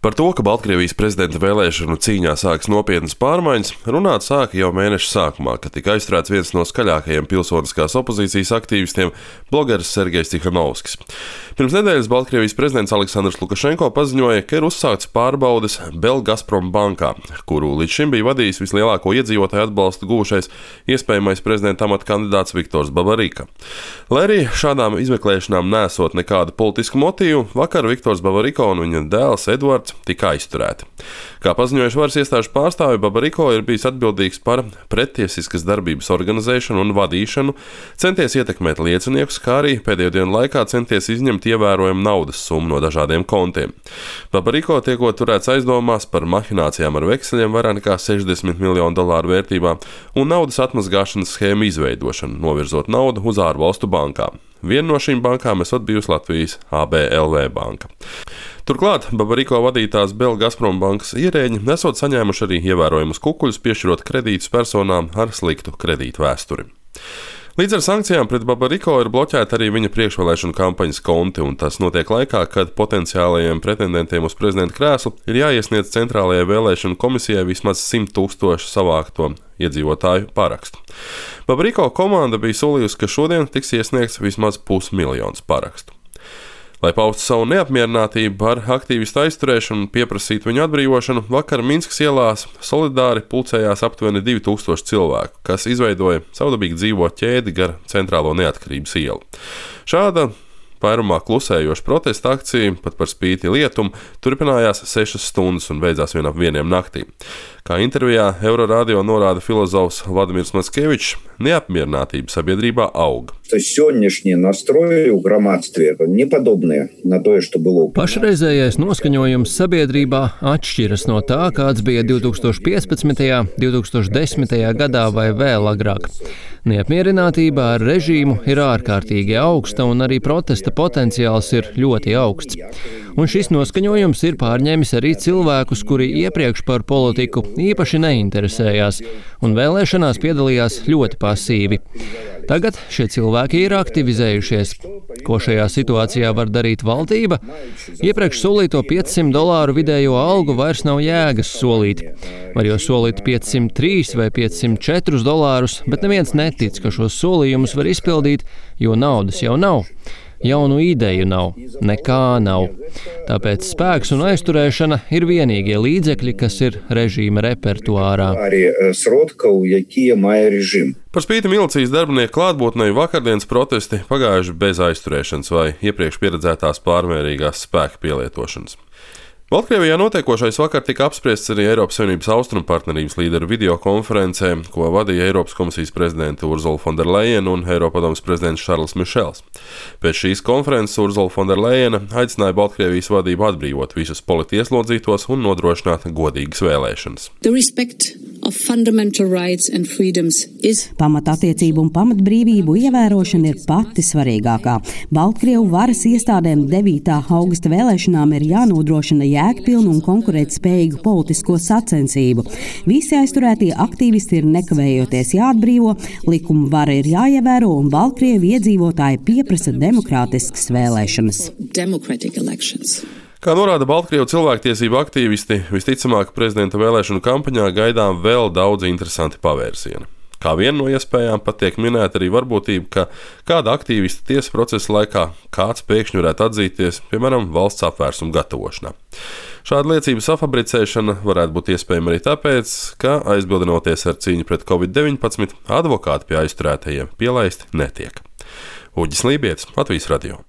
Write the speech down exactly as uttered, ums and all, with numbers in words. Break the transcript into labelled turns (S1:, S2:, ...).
S1: Par to, ka Baltkrievijas prezidenta vēlēšanu cīņā sākas nopietnas pārmaiņas, runāt sāka jau mēneša sākumā, kad tika aizturēts viens no skaļākajiem pilsoniskās opozīcijas aktīvistiem - blogeris Sergejs Tikhanovskis. Pirms nedēļas Baltkrievijas prezidents Aleksandrs Lukašenko paziņoja, ka ir uzsākts pārbaudes Belgazprom bankā, kuru līdz šim bija vadījis vislielāko iedzīvotāju atbalstu gūšais iespējamais prezidenta amata kandidāts Viktors Babarika. Lai arī šādām izmeklēšanām nesot nekādu politisku motīvu, vakar Viktors Babariko un viņa dēls Edvards tika aizturēti. Kā paziņojuši varas iestāžu pārstāvi, Babariko ir bijis atbildīgs par prettiesiskas darbības organizēšanu un vadīšanu, centies ietekmēt lieciniekus, kā arī pēdējo dienu laikā centies izņemt ievērojumu naudas summu no dažādiem kontiem. Babariko tiekot turēts aizdomās par mahinācijām ar vekseļiem vairāk nekā sešdesmit miljonu dolāru vērtībā un naudas atmazgāšanas schēmu izveidošanu, novirzot naudu uz ārvalstu bankām. Viena no šīm bankām esot bijusi Latvijas A B L V banka. Turklāt Babariko vadītās Belgazprom bankas ierēģi esot saņēmuši arī ievērojumus kukuļus, piešķirot kredītus personām ar sliktu kredītu vēsturi. Līdz ar sankcijām pret Babariko ir bloķēta arī viņa priekšvēlēšanu kampaņas konti, un tas notiek laikā, kad potenciālajiem pretendentiem uz prezidenta krēslu ir jāiesniedz Centrālajai vēlēšanu komisijai vismaz simt tūkstošu savākto iedzīvotāju parakstu. Babariko komanda bija solījusi, ka šodien tiks iesniegts vismaz pusmiljons parakstu. Lai paustu savu neapmierinātību ar aktīvistu aizturēšanu un pieprasītu viņu atbrīvošanu, vakar Minskas ielās solidāri pulcējās aptuveni divi tūkstoši cilvēku, kas izveidoja savdabīgi dzīvo ķēdi gar Centrālo Neatkarības ielu. Šāda vairumā klusējoša protesta akcija, pat par spīti lietum, turpinājās sešas stundas un beidzās vien ap vieniem naktī. Kā intervijā Euroradio norāda filozofs Vladimirs Mackevičs, neapmierinātība sabiedrībā aug.
S2: Pašreizējais noskaņojums sabiedrībā atšķiras no tā, kāds bija divi tūkstoši piecpadsmitajā, divi tūkstoši desmitajā gadā vai vēl agrāk. Neapmierinātība ar režīmu ir ārkārtīgi augsta un arī protesta potenciāls ir ļoti augsts. Un šis noskaņojums ir pārņēmis arī cilvēkus, kuri iepriekš par politiku īpaši neinteresējās un vēlēšanās piedalījās ļoti pasīvi. Tagad šie cilvēki ir aktivizējušies. Ko šajā situācijā var darīt valdība? Iepriekš solīto piecsimt dolāru vidējo algu vairs nav jēgas solīt. Var jau solīt piecsimt trīs vai piecsimt četrus dolārus, bet neviens netic, ka šos solījumus var izpildīt, jo naudas jau nav. Jaunu ideju nav, nekā nav. Tāpēc spēks un aizturēšana ir vienīgie līdzekļi, kas ir režīma repertuārā.
S1: Par spīti milicijas darbinieku klātbūtnei vakardienas protesti pagājuši bez aizturēšanas vai iepriekš pieredzētās pārmērīgās spēka pielietošanas. Baltkrievijā notiekošais vakar tika apspriests arī Eiropas Savienības austrumu partnerības līderu videokonferencē, ko vadīja Eiropas komisijas prezidente Ursula von der Leyen un Eiropadomes prezidents Šarls Mišels. Pēc šīs konferences Ursula von der Leyen aicināja Baltkrievijas vadību atbrīvot visus politieslodzītos un nodrošināt godīgas vēlēšanas.
S3: Pamatattiecību un pamatbrīvību ievērošana ir pati svarīgākā. Baltkrievu varas iestādēm devītā augusta vēlēšanām ir jānodrošina jēgpilnu un konkurētspējīgu politisko sacensību. Visi aizturētie aktīvisti ir nekavējoties jāatbrīvo, likuma vara ir jāievēro un Baltkrievu iedzīvotāji pieprasa demokrātiskas vēlēšanas.
S1: Kā norāda Baltkrievu cilvēktiesību aktīvisti, visticamāk prezidenta vēlēšanu kampaņā gaidām vēl daudz interesanti pavērsieni. Kā viena no iespējām pat tiek minēta arī varbūtība, ka kāda aktīvista tiesas procesa laikā kāds pēkšņi varētu atzīties, piemēram, valsts apvērsumu gatavošanā. Šāda liecības safabricēšana varētu būt iespējama arī tāpēc, ka aizbildinoties ar cīņu pret covid deviņpadsmit, advokāti pie aizturētajiem pielaisti netiek. Uģis Lībietis, Latvijas radio.